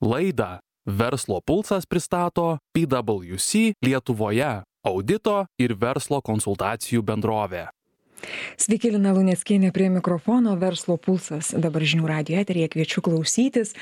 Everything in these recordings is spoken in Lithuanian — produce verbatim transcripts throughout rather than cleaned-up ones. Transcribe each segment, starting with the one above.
Laidą Verslo pulsas pristato P W C Lietuvoje audito ir verslo konsultacijų bendrovė. Sveiki, Lina Luneckienė prie mikrofono, Verslo pulsas dabar žinių radijo eteryje, kviečiu klausytis.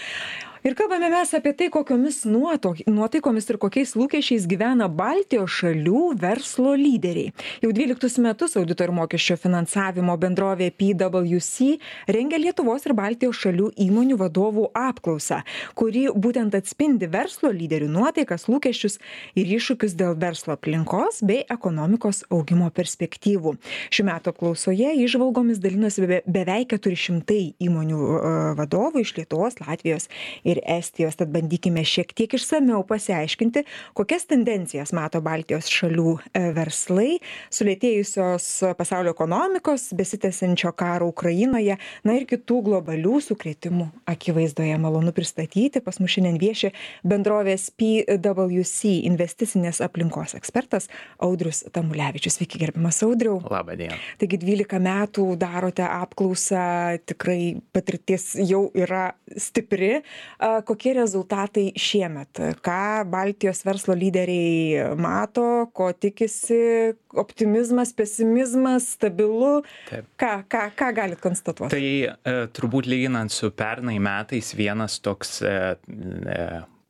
Ir kalbame mes apie tai, kokiomis nuotaikomis ir kokiais lūkesčiais gyvena Baltijos šalių verslo lyderiai. Jau dvyliktus metus audito ir mokesčio finansavimo bendrovė P W C rengia Lietuvos ir Baltijos šalių įmonių vadovų apklausą, kuri būtent atspindi verslo lyderių nuotaikas, lūkesčius ir iššūkius dėl verslo aplinkos bei ekonomikos augimo perspektyvų. Šių metų apklausoje įžvalgomis dalinosi be, beveik keturi šimtai įmonių uh, vadovų iš Lietuvos, Latvijos ir Estijos. Tad bandykime šiek tiek išsamiau pasiaiškinti, kokias tendencijas mato Baltijos šalių verslai, sulėtėjusios pasaulio ekonomikos, besitęsiančio karo Ukrainoje, na ir kitų globalių sukrėtimų akivaizdoje. Malonu pristatyti, pas mus šiandien vieši bendrovės P W C investicinės aplinkos ekspertas Audrius Tamulevičius. Sveiki, gerbiamas Audriau. Labą dieną. Taigi dvylika metų darote apklausą, tikrai patirtis jau yra stipri. Kokie rezultatai šiemet? Ką Baltijos verslo lyderiai mato, ko tikisi, optimizmas, pesimizmas, stabilu? Taip. Ką, ką, ką galit konstatuoti? Tai e, turbūt lyginant su pernai metais vienas toks e, e,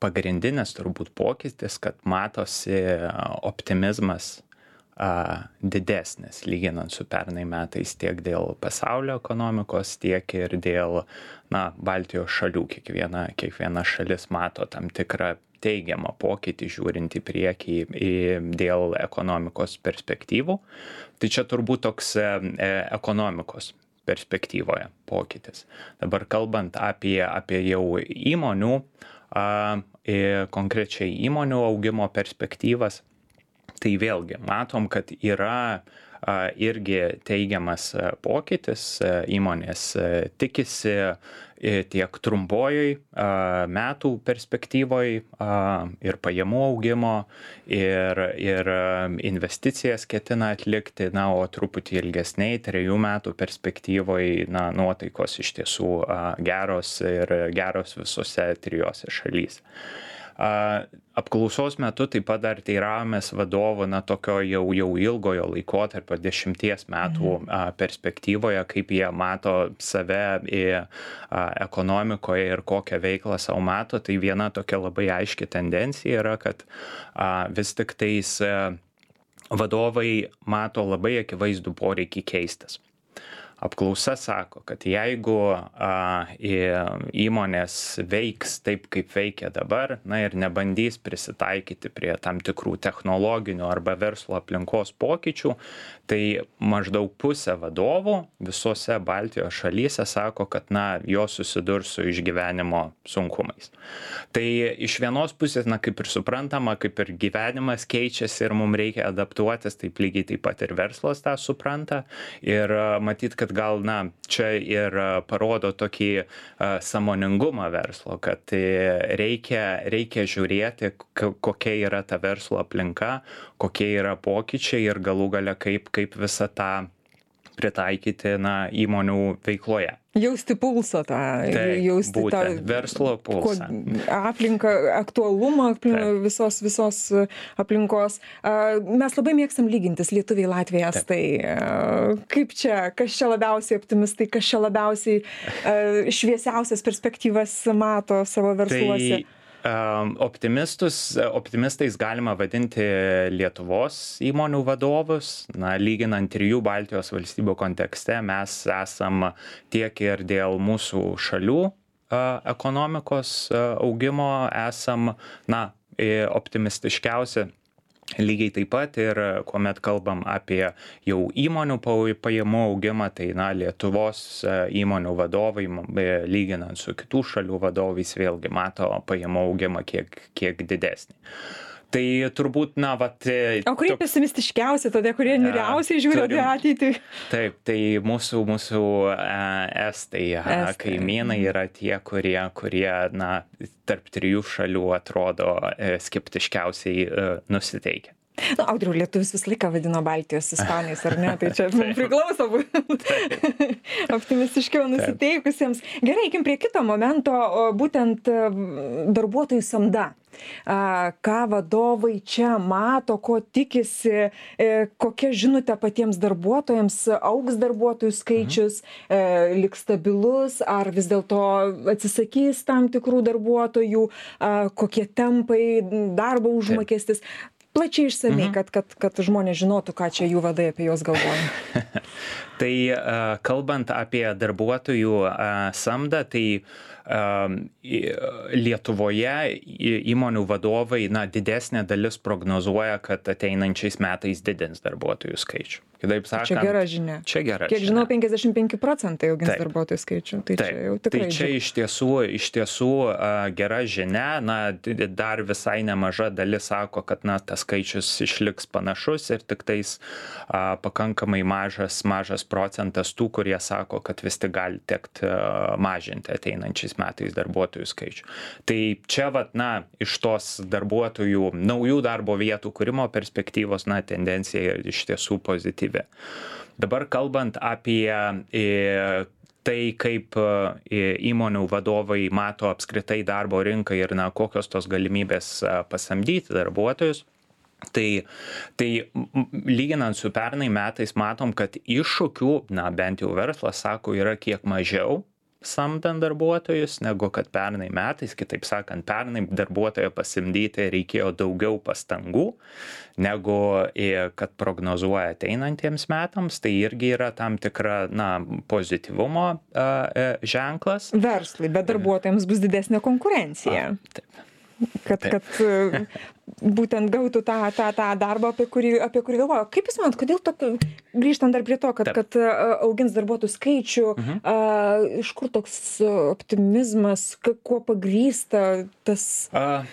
pagrindinis turbūt pokytis, kad matosi optimizmas a, didesnis lyginant su pernai metais tiek dėl pasaulio ekonomikos, tiek ir dėl na, Baltijos šalių. Kiekviena, kiekviena šalis mato tam tikrą teigiamą pokytį žiūrint į priekį į, dėl ekonomikos perspektyvų. Tai čia turbūt toks e, ekonomikos perspektyvoje pokytis. Dabar kalbant apie, apie jau įmonių, a, e, konkrečiai įmonių augimo perspektyvas, tai vėlgi matom, kad yra a, irgi teigiamas pokytis, įmonės tikisi tiek trumpojoj a, metų perspektyvoj a, ir pajamų augimo, ir, ir investicijas ketina atlikti, na, o truputį ilgesniai, trejų metų perspektyvoj, na, nuotaikos iš tiesų a, geros ir geros visose trijose šalyse. Apklausos metu taip pat dar teiravomės vadovų na tokio jau, jau ilgojo laikotarpio dešimties metų mhm. perspektyvoje, kaip jie mato save į ekonomikoje ir kokią veiklą savo mato. Tai viena tokia labai aiški tendencija yra, kad vis tik tais vadovai mato labai akivaizdų poreikį keistis. Apklausa sako, kad jeigu a, įmonės veiks taip, kaip veikia dabar, na ir nebandys prisitaikyti prie tam tikrų technologinių arba verslo aplinkos pokyčių, tai maždaug pusė vadovų visose Baltijos šalyse sako, kad na, jos susidurs su išgyvenimo sunkumais. Tai iš vienos pusės, na kaip ir suprantama, kaip ir gyvenimas keičiasi ir mums reikia adaptuotis, taip lygiai taip pat ir verslas tą supranta. Ir matyt, kad gal, na, čia ir parodo tokį uh, sąmoningumą verslo, kad reikia, reikia žiūrėti, kokia yra ta verslo aplinka, kokie yra pokyčiai ir galų gale kaip, kaip visą tą pritaikyti, na, įmonių veikloje. Jausti pulsą tą, Taip, jausti būtent, tą verslo pulsą. Aplinką, aktualumą aplink, visos, visos aplinkos. Mes labai mėgstam lygintis lietuviai, Latvijai, estai. Kaip čia, kas čia labiausiai optimistai, kas čia labiausiai šviesiausias perspektyvas mato savo versluose? Tai Optimistus, optimistais galima vadinti Lietuvos įmonių vadovus. Na, lyginant trijų Baltijos valstybių kontekste, mes esam tiek ir dėl mūsų šalių ekonomikos augimo esam, na, optimistiškiausi. Lygiai taip pat ir kuomet kalbam apie jau įmonių pajamų augimą, tai na, Lietuvos įmonių vadovai, lyginant su kitų šalių vadovais, vėlgi mato pajamų augimą kiek, kiek didesnį. Tai turbūt, na, vat... O kurie tok... pesimistiškiausi, tada kurie niuriausiai žiūri turim... ateitį? Taip, tai mūsų, mūsų estai, estai. Kaimynai yra tie, kurie, kurie, na, tarp trijų šalių atrodo skeptiškiausiai nusiteikę. Na, Audriau, lietuvis visą laiką vadino Baltijos ispanais, ar ne? Tai čia mums priklauso optimistiškiau nusiteikusiems. Gerai, eikim prie kito momento, būtent darbuotojų samda. Ką vadovai čia mato, ko tikisi, kokia žinutė patiems darbuotojams, augs darbuotojų skaičius, mhm. liks stabilus, ar vis dėlto atsisakys tam tikrų darbuotojų, kokie tempai, darbo užmokestis. Plačiai išsamei, mhm. kad, kad, kad žmonės žinotų, ką čia jų vadai apie juos galvoja. Tai kalbant apie darbuotojų samdą, tai Lietuvoje įmonių vadovai, na, didesnė dalis prognozuoja, kad ateinančiais metais didins darbuotojų skaičių. Kitaip sakant, čia gera žinia. Čia gera Kiek žinia. žinau, penkiasdešimt penki procentai augins darbuotojų skaičių. Tai Taip. čia jau tikrai. Tai čia iš tiesų, iš tiesų uh, gera žinia. Na, dar visai nemaža dalis sako, kad na, tas skaičius išliks panašus ir tik tais uh, pakankamai mažas, mažas procentas tų, kurie sako, kad vis tik gali tekti uh, mažinti ateinančiais metais darbuotojų skaičių. Tai čia, vat, na, iš tos darbuotojų, naujų darbo vietų kūrimo perspektyvos, na, tendencija iš tiesų pozityvi. Dabar kalbant apie tai, kaip įmonių vadovai mato apskritai darbo rinką ir na, kokios tos galimybės pasamdyti darbuotojus, tai, tai lyginant su pernai metais matom, kad iššūkių, na bent jau verslas sako, yra kiek mažiau samdant darbuotojus, negu kad pernai metais, kitaip sakant, pernai darbuotoją pasamdyti reikėjo daugiau pastangų, negu kad prognozuoja ateinantiems metams, tai irgi yra tam tikra, na, pozityvumo uh, ženklas. Verslui, bet darbuotojams bus didesnė konkurencija. A, taip. Kad, Taip. kad būtent gautų tą, tą, tą darbą, apie kurį, apie kurį galvoju. Kaip Jūs manot, kodėl tokio, grįžtant dar prie to, kad, kad augins darbuotojų skaičių, mhm. a, iš kur toks optimizmas, kuo pagrįsta tas a,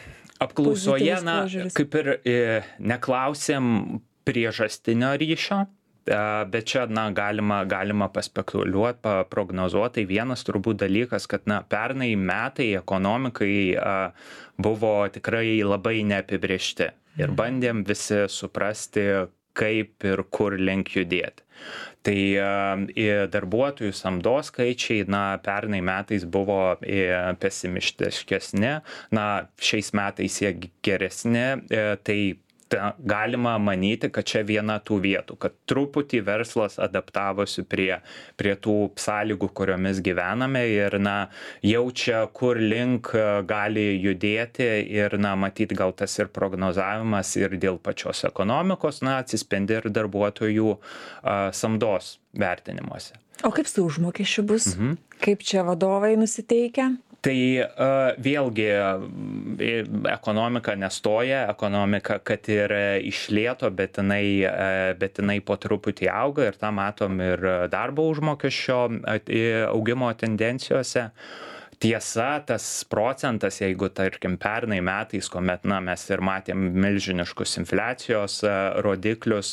apklausoje, na, kaip ir e, neklausėm priežastinio ryšio, bet čia, na, galima, galima paspekuliuoti, paprognozuoti. Tai vienas turbūt dalykas, kad, na, pernai metai ekonomikai a, buvo tikrai labai neapibrėžti ir bandėm visi suprasti, kaip ir kur link judėti. Tai a, darbuotojų samdos skaičiai, na, pernai metais buvo a, pesimistiškesni, na, šiais metais jie geresni, a, tai galima manyti, kad čia viena tų vietų, kad truputį verslas adaptavosi prie, prie tų sąlygų, kuriomis gyvename ir, na, jaučia, kur link gali judėti ir, na, matyti gal tas ir prognozavimas ir dėl pačios ekonomikos, na, atsispindi ir darbuotojų a, samdos vertinimuose. O kaip su užmokesčiu bus? Mhm. Kaip čia vadovai nusiteikia? Tai uh, vėlgi ekonomika nestoja, ekonomika, kad ir išlėto, bet jinai, uh, bet jinai po truputį auga ir tą matom ir darbo užmokesčio augimo tendencijose. Tiesa, tas procentas, jeigu, tarkim, pernai metais, kuomet, na, mes ir matėm milžiniškus infliacijos rodiklius,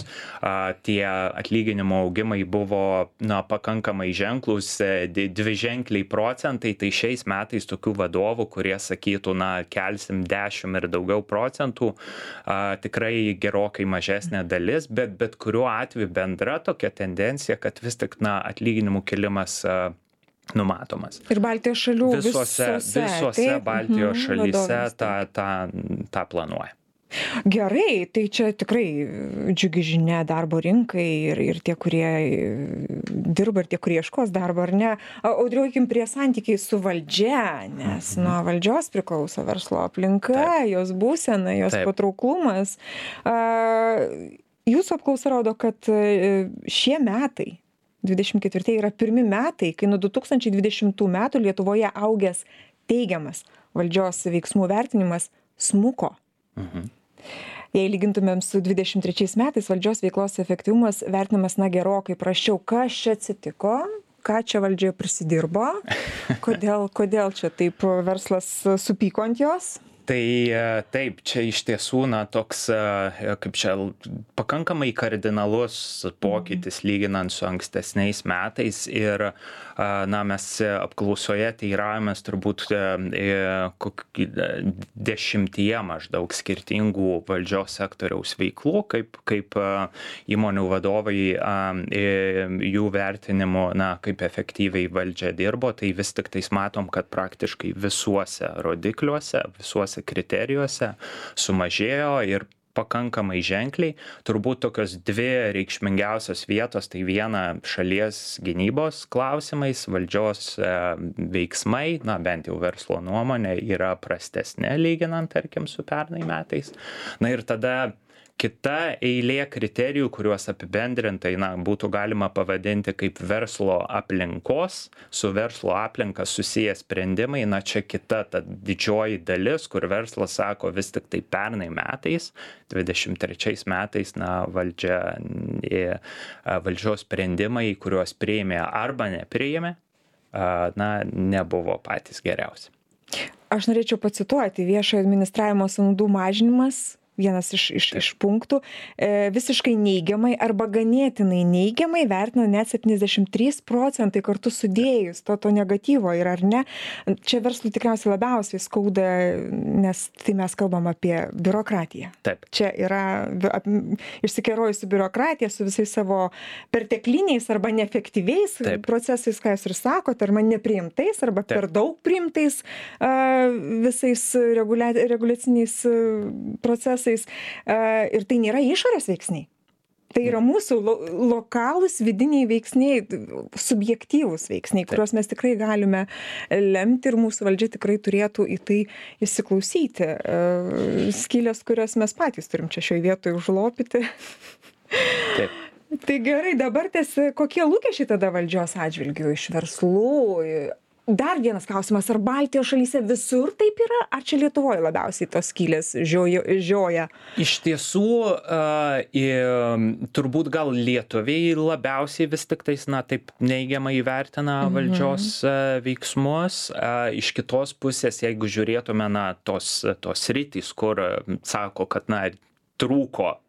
tie atlyginimo augimai buvo, na, pakankamai ženklus, dviženkliai procentai, tai šiais metais tokių vadovų, kurie sakytų, na, kelsim dešimt ir daugiau procentų, tikrai gerokai mažesnė dalis, bet bet kuriuo atveju bendra tokia tendencija, kad vis tik, na, atlyginimų kilimas numatomas. Ir Baltijos šalių visose, visose, visose Baltijos mhm, šalyse tą, tą, tą planuoja. Gerai, tai čia tikrai džiugi žinia darbo rinkai ir, ir tie, kurie dirba, ir tie, kurie ieškos darbo, ar ne. Audriuokim prie santykiai su valdžia, nes mhm. nuo valdžios priklauso verslo aplinka, Taip. jos būsena, jos Taip. patrauklumas. Jūsų apklausa rodo, kad šie metai dvidešimt ketvirtieji yra pirmi metai, kai nuo du tūkstančiai dvidešimtų metų Lietuvoje augęs teigiamas valdžios veiksmų vertinimas smuko. Mhm. Jei lygintumėm su dvidešimt trečiais metais, valdžios veiklos efektyvumas vertinamas, na, gerokai prasčiau. Kas čia atsitiko? Ką čia valdžia prisidirbo? Kodėl, kodėl čia taip verslas supyko ant jos? Tai taip, čia iš tiesų, na, toks, kaip čia, pakankamai kardinalus pokytis lyginant su ankstesniais metais ir, na, mes apklausoje teiravomės turbūt kokį dešimtyje maždaug skirtingų valdžios sektoriaus veiklų, kaip, kaip įmonių vadovai jų vertinimu, na, kaip efektyviai valdžia dirbo, tai vis tik tais matom, kad praktiškai visuose rodikliuose, visuose kriterijuose sumažėjo ir pakankamai ženkliai. Turbūt tokios dvi reikšmingiausios vietos, tai viena šalies gynybos klausimais, valdžios veiksmai, na bent jau verslo nuomonė, yra prastesnė lyginant, tarkim, su pernai metais. Na ir tada kita eilė kriterijų, kuriuos apibendrintai, na, būtų galima pavadinti kaip verslo aplinkos, su verslo aplinka susiję sprendimai, na, čia kita ta didžioji dalis, kur verslas sako vis tik tai pernai metais, dvidešimt trečiais metais, na, valdžia, valdžios sprendimai, kuriuos priėmė arba nepriėmė, na, nebuvo patys geriausi. Aš norėčiau pacituoti: viešojo administravimo sąnaudų mažinimas, vienas iš, iš, iš punktų, e, visiškai neigiamai arba ganėtinai neigiamai vertina net septyniasdešimt trys procentai kartu sudėjus to, to negatyvo ir ar ne. Čia verslui tikriausiai labiausiai skauda, nes tai mes kalbam apie biurokratiją. Taip. Čia yra ap, išsikerojusi biurokratija su visais savo pertekliniais arba neefektyviais Taip. procesais, ką jūs ir sakote, arba nepriimtais, arba Taip. per daug priimtais uh, visais regulia, reguliaciniais uh, procesais. Ir tai nėra išorės veiksniai. Tai yra mūsų lo, lokalūs vidiniai veiksniai, subjektyvūs veiksniai, kuriuos mes tikrai galime lemti ir mūsų valdžia tikrai turėtų į tai įsiklausyti. Skylės, kurias mes patys turim čia šioje vietoje užlopyti. Taip. Tai gerai, dabar ties, kokie lūkesčiai tada valdžios atžvilgių iš verslų? Dar vienas klausimas, ar Baltijos šalyse visur taip yra, ar čia Lietuvoje labiausiai tos skylės žioja? Iš tiesų, uh, turbūt gal lietuviai labiausiai vis tik tais, na, taip neigiamai vertina mhm. valdžios uh, veiksmus. Uh, iš kitos pusės, jeigu žiūrėtume, na, tos, tos rytis, kur uh, sako, kad, na, trūko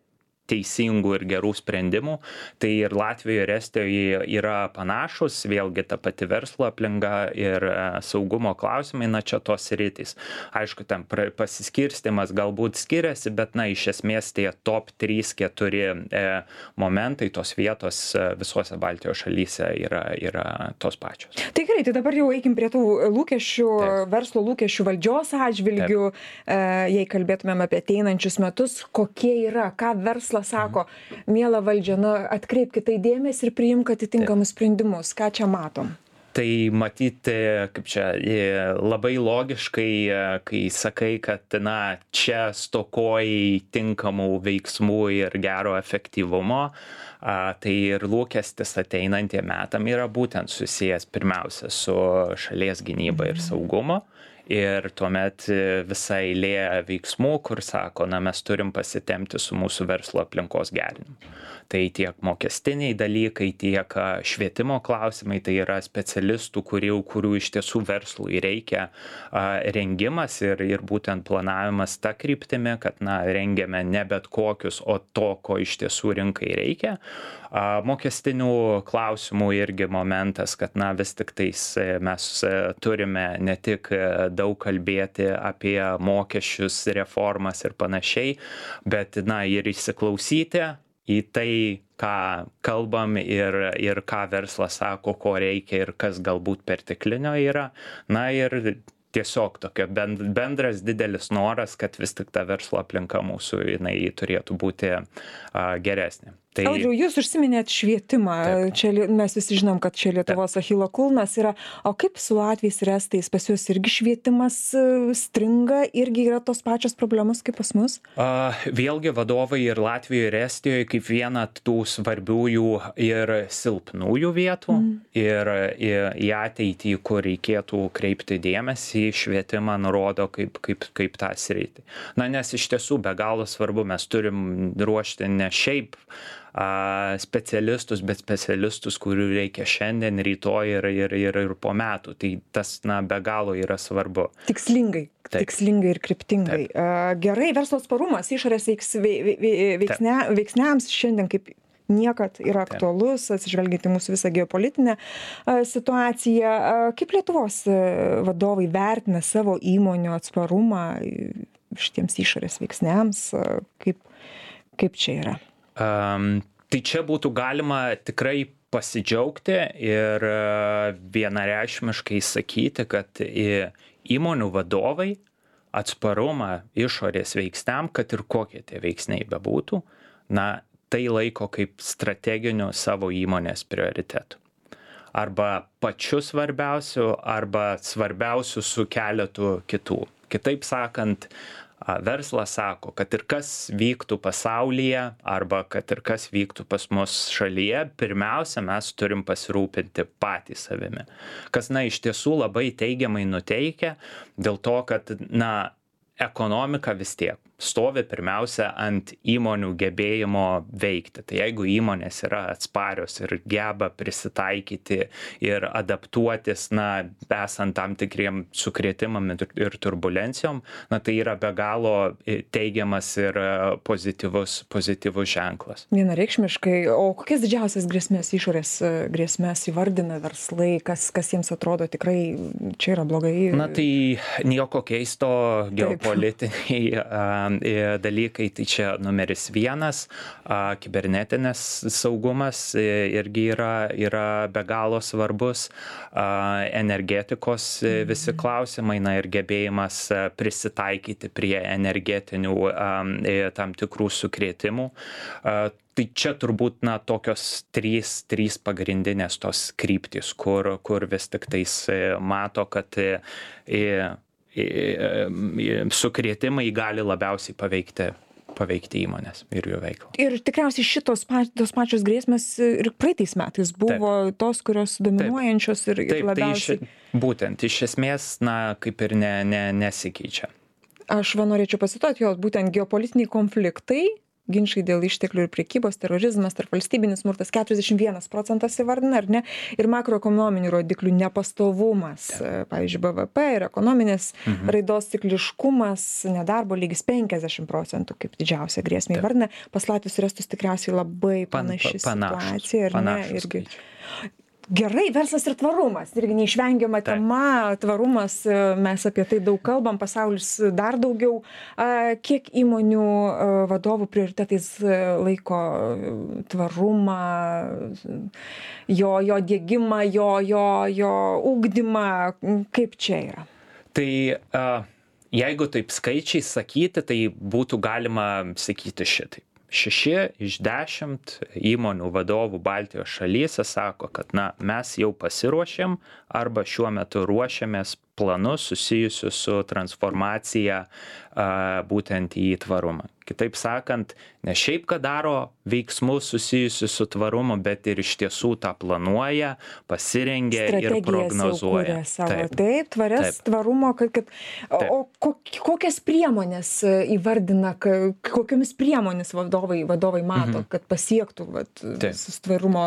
teisingų ir gerų sprendimų, tai ir Latvijoje ir Estijoje yra panašus, vėlgi ta pati verslo aplinka ir saugumo klausimai, na, čia tos rytis. Aišku, ten pasiskirstimas galbūt skiriasi, bet, na, iš esmės tie top trys keturi e, momentai, tos vietos visose Baltijos šalyse yra, yra tos pačios. Tai gerai, tai dabar jau eikim prie tų lūkesčių, Taip. verslo lūkesčių valdžios atžvilgių, e, jei kalbėtumėm apie ateinančius metus, kokie yra, ką verslas sako, miela valdžia, na, atkreipkite dėmesį ir priimk atitinkamus sprendimus. Ką čia matom? Tai matyti, kaip čia, labai logiškai, kai sakai, kad, na, čia stokojai tinkamų veiksmų ir gero efektyvumo, tai ir lūkestis ateinantiem metam yra būtent susijęs pirmiausia su šalies gynyba ir saugumo. Ir tuomet visa eilė veiksmų, kur sako, na, mes turim pasitempti su mūsų verslo aplinkos gerinimu. Tai tiek mokestiniai dalykai, tiek švietimo klausimai, tai yra specialistų, kurių, kurių iš tiesų verslui reikia rengimas ir, ir būtent planavimas ta kryptimi, kad, na, rengiame ne bet kokius, o to, ko iš tiesų rinkai reikia. Mokestinių klausimų irgi momentas, kad, na, vis tik tais mes turime ne tik daug kalbėti apie mokesčius, reformas ir panašiai, bet, na, ir įsiklausyti į tai, ką kalbam ir, ir ką verslas sako, ko reikia ir kas galbūt perteklinio yra. Na ir tiesiog tokia bendras didelis noras, kad vis tik ta verslo aplinka mūsų, jinai turėtų būti a, geresnė. Tai... Audriau, jūs užsiminėt švietimą. Taip. Čia mes visi žinom, kad čia Lietuvos achilo kulnas yra. O kaip su latviais ir estais? Pas juos irgi švietimas stringa, irgi yra tos pačios problemos kaip pas mus? Uh, vėlgi vadovai ir Latvijoje ir Estijoje kaip viena tų svarbiųjų ir silpnųjų vietų mm. ir į, į ateitį, kur reikėtų kreipti dėmesį, švietimą nurodo kaip, kaip, kaip tą sritį. Na, nes iš tiesų be galo svarbu, mes turim ruošti ne šiaip specialistus, bet specialistus, kurių reikia šiandien, rytoj ir, ir, ir, ir po metų. Tai tas, na, be galo yra svarbu. Tikslingai, Taip. tikslingai ir kryptingai. Taip. Gerai, verslo atsparumas išorės veiks, veiksne, veiksniams šiandien kaip niekad yra aktualus, atsižvelgiant į mūsų visą geopolitinę situaciją. Kaip Lietuvos vadovai vertina savo įmonių atsparumą šitiems išorės veiksniams? Kaip, kaip čia yra? Um, tai čia būtų galima tikrai pasidžiaugti ir vienareikšmiškai sakyti, kad įmonių vadovai atsparumą išorės veiksniam, kad ir kokie tie veiksniai bebūtų, na, tai laiko kaip strateginiu savo įmonės prioritetu. Arba pačiu svarbiausiu, arba svarbiausiu su keletu kitų. Kitaip sakant, verslas sako, kad ir kas vyktų pasaulyje, arba kad ir kas vyktų pas mus šalyje, pirmiausia, mes turim pasirūpinti patys savimi. Kas, na, iš tiesų labai teigiamai nuteikia, dėl to, kad, na, ekonomika vis tiek stovi pirmiausia ant įmonių gebėjimo veikti. Tai jeigu įmonės yra atsparios ir geba prisitaikyti ir adaptuotis, na, esant tam tikriem sukrėtimam ir turbulencijom, na, tai yra be galo teigiamas ir pozityvus, pozityvus ženklas. Vienareikšmiškai, o kokias didžiausias grėsmės, išorės grėsmės įvardina verslai, kas, kas jiems atrodo tikrai čia yra blogai? Na, tai nieko keisto, geopolitiniai dalykai, tai čia numeris vienas, kibernetinės saugumas irgi yra, yra be galo svarbus, energetikos visi klausimai, na, ir gebėjimas prisitaikyti prie energetinių tam tikrų sukrėtimų. Tai čia turbūt, na, tokios trys, trys pagrindinės tos kryptys, kur, kur vis tik tais mato, kad sukrėtimai gali labiausiai paveikti, paveikti įmonės ir jų veiklą. Ir tikriausiai šitos tos pačios grėsmės ir praeitais metais buvo Taip. tos, kurios dominuojančios ir, ir Taip, labiausiai. Tai iš, būtent, iš esmės, na, kaip ir ne, ne, nesikeičia. Aš va norėčiau pasituoti, jo, būtent geopolitiniai konfliktai, ginčai dėl išteklių ir prekybos, terorizmas, tarpvalstybinis smurtas keturiasdešimt vienas procentas įvardina, ar ne? Ir makroekonominių rodiklių nepastovumas, Taip. pavyzdžiui, B V P ir ekonominės mhm. raidos cikliškumas, nedarbo lygis penkiasdešimt procentų kaip didžiausia grėsmė įvardina. Pas Latvius ir Estus tikriausiai labai panaši Pan, pa, situacija, ar ne? Irgi. Skaičiai. Gerai, verslas ir tvarumas, irgi neišvengiama tema, tvarumas, mes apie tai daug kalbam, pasaulis dar daugiau. Kiek įmonių vadovų prioritetais laiko tvarumą, jo, jo diegimą, jo, jo, jo ugdymą, kaip čia yra? Tai uh, jeigu taip skaičiai sakyti, tai būtų galima sakyti šitaip. Šeši iš dešimt įmonių vadovų Baltijos šalyse sako, kad, na, mes jau pasiruošėm arba šiuo metu ruošiamės planus susijusius su transformacija a, būtent į tvarumą. Kitaip sakant, ne šiaip, kad daro veiksmus susijusius su tvarumu, bet ir iš tiesų tą planuoja, pasirengia ir prognozuoja. Savo. Taip, taip, tvarias taip. Tvarumo, kad, kad taip. O kokias priemonės įvardina, kokiamis priemonės vadovai, vadovai mato, mhm. kad pasiektų vat, visus tvarumo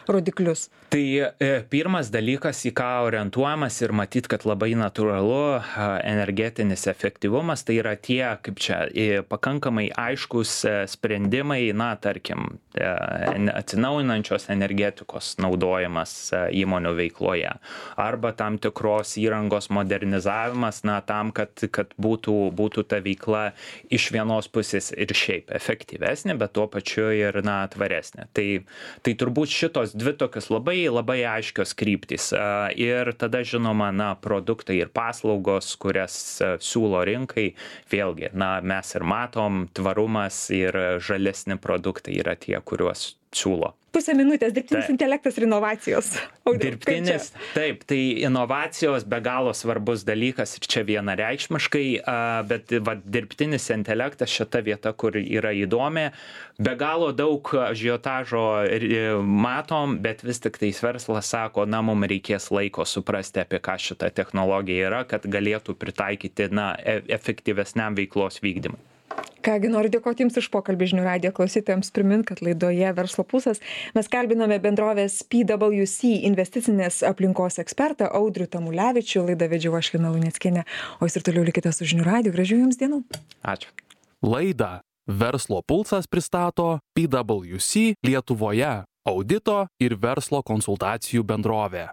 rodiklius? Tai e, pirmas dalykas, į ką orientuojamas ir matyt, kad labai natūralu, energetinis efektyvumas, tai yra tie, kaip čia, pakankamai aiškus sprendimai, na, tarkim, atsinaujinančios energetikos naudojimas įmonių veikloje arba tam tikros įrangos modernizavimas, na, tam, kad, kad būtų, būtų ta veikla iš vienos pusės ir šiaip efektyvesnė, bet tuo pačiu ir, na, tvaresnė. Tai, tai turbūt šitos dvi tokios labai, labai aiškios kryptys. Ir tada, žinoma, na, produktai ir paslaugos, kurias siūlo rinkai, vėlgi, na, mes ir matom, tvarumas ir žalesni produktai yra tie, kuriuos siūlo. Pusę minutės, dirbtinis taip. Intelektas ir inovacijos. Dirbtinis, taip, tai inovacijos be galo svarbus dalykas ir čia vienareikšmiškai, bet va, dirbtinis intelektas šita vieta, kur yra įdomi, be galo daug ažiotažo matom, bet vis tik tais verslas sako, na, mums reikės laiko suprasti, apie ką šita technologija yra, kad galėtų pritaikyti, na, efektyvesniam veiklos vykdymui. Kągi, noriu dėkoti Jums už pokalbį žinių radijo klausytojams, primint, kad laidoje Verslo pulsas mes kalbinome bendrovės P W C investicinės aplinkos ekspertą Audrių Tamulevičių. Laidą vedžiau aš Lina Luneckienė, o Jūs ir toliau likite su žinių radiju. Gražių Jums dienų. Ačiū. Laidą Verslo pulsas pristato P W C Lietuvoje audito ir verslo konsultacijų bendrovė.